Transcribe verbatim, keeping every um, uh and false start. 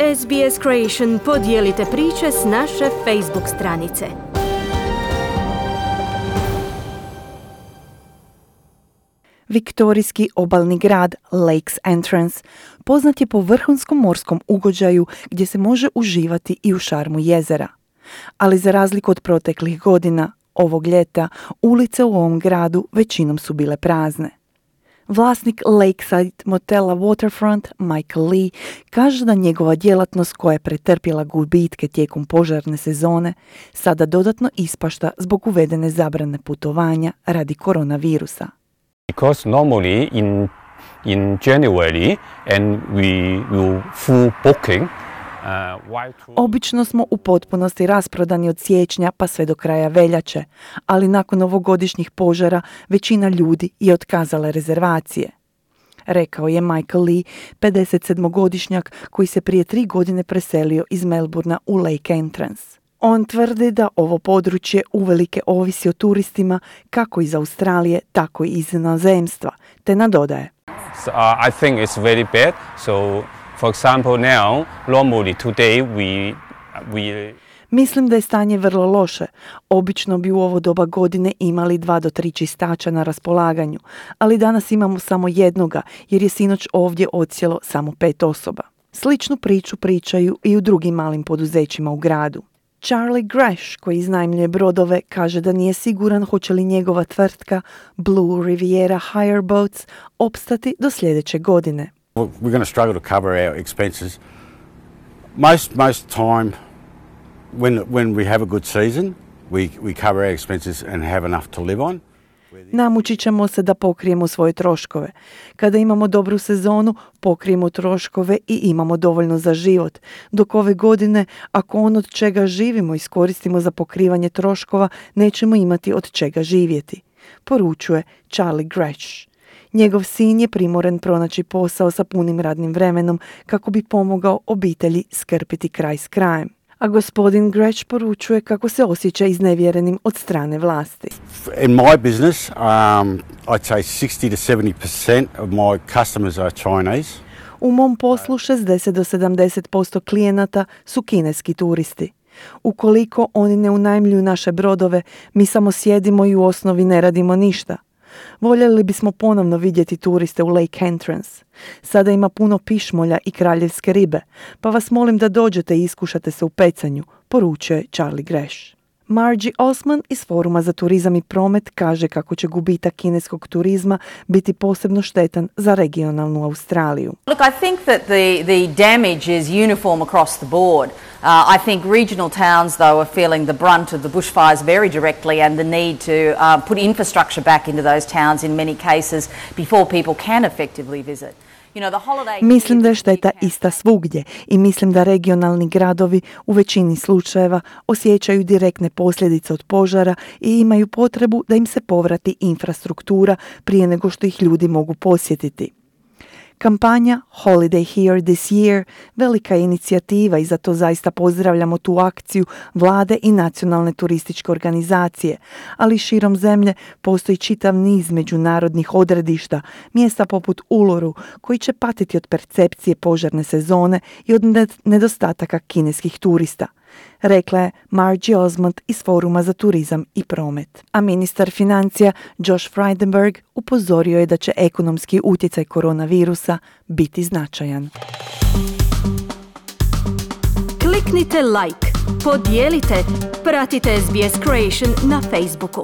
S B S Creation podijelite priče s naše Facebook stranice. Viktorijski obalni grad Lakes Entrance poznat je po vrhunskom morskom ugođaju gdje se može uživati i u šarmu jezera. Ali za razliku od proteklih godina, ovog ljeta ulice u ovom gradu većinom su bile prazne. Vlasnik Lakeside motela Waterfront, Michael Lee, kaže da njegova djelatnost koja je pretrpjela gubitke tijekom požarne sezone sada dodatno ispašta zbog uvedene zabrane putovanja radi koronavirusa. Because normally in in January and we will full booking. Uh, Obično smo u potpunosti rasprodani od siječnja pa sve do kraja veljače, ali nakon ovogodišnjih požara većina ljudi je otkazala rezervacije. Rekao je Michael Lee, pedesetsedmogodišnjak koji se prije tri godine preselio iz Melbourna u Lake Entrance. On tvrdi da ovo područje uvelike ovisi o turistima kako iz Australije, tako i iz inozemstva, te nadodaje. So, uh, I think it's very bad. So, for example, now, normally today we we Mislim da je stanje vrlo loše. Obično bi u ovo doba godine imali dva do tri čistača na raspolaganju, ali danas imamo samo jednoga jer je sinoć ovdje odsjelo samo pet osoba. Sličnu priču pričaju i u drugim malim poduzećima u gradu. Charlie Grash, koji iznajmljuje brodove, kaže da nije siguran hoće li njegova tvrtka Blue Riviera Hire Boats opstati do sljedeće godine. We're going to struggle to cover our expenses. Most most time when when we have a good season, we we cover our expenses and have enough to live on. Namučit ćemo se da pokrijemo svoje troškove. Kada imamo dobru sezonu, pokrijemo troškove i imamo dovoljno za život. Dok ove godine, ako ono od čega živimo iskoristimo za pokrivanje troškova, nećemo imati od čega živjeti, poručuje Charlie Grash. Njegov sin je primoren pronaći posao sa punim radnim vremenom kako bi pomogao obitelji skrpiti kraj s krajem. A gospodin Grash poručuje kako se osjeća iznevjerenim od strane vlasti. In my business, um, I'd say sixty to seventy percent of my customers are Chinese. U mom poslu šezdeset do sedamdeset posto klijenata su kineski turisti. Ukoliko oni ne unajmljuju naše brodove, mi samo sjedimo i u osnovi ne radimo ništa. Voljeli bismo ponovno vidjeti turiste u Lake Entrance. Sada ima puno pišmolja i kraljevske ribe, pa vas molim da dođete i iskušate se u pecanju, poručuje Charlie Grash. Margie Osman iz Foruma za turizam i promet kaže kako će gubitak kineskog turizma biti posebno štetan za regionalnu Australiju. Look, I think that the, the damage is uniform across the board. Uh, I think regional towns, though, are feeling the brunt of the bushfires very directly and the need to uh, put infrastructure back into those towns in many cases before people can effectively visit. Mislim da je šteta ista svugdje i mislim da regionalni gradovi u većini slučajeva osjećaju direktne posljedice od požara i imaju potrebu da im se povrati infrastruktura prije nego što ih ljudi mogu posjetiti. Kampanja Holiday Here This Year velika je inicijativa i zato zaista pozdravljamo tu akciju vlade i nacionalne turističke organizacije, ali širom zemlje postoji čitav niz međunarodnih odredišta, mjesta poput Uluru, koji će patiti od percepcije požarne sezone i od nedostataka kineskih turista, rekla je Margie Osmond iz Foruma za turizam i promet. A ministar financija Josh Frydenberg upozorio je da će ekonomski utjecaj koronavirusa biti značajan. Kliknite like, podijelite, pratite S B S Creation na Facebooku.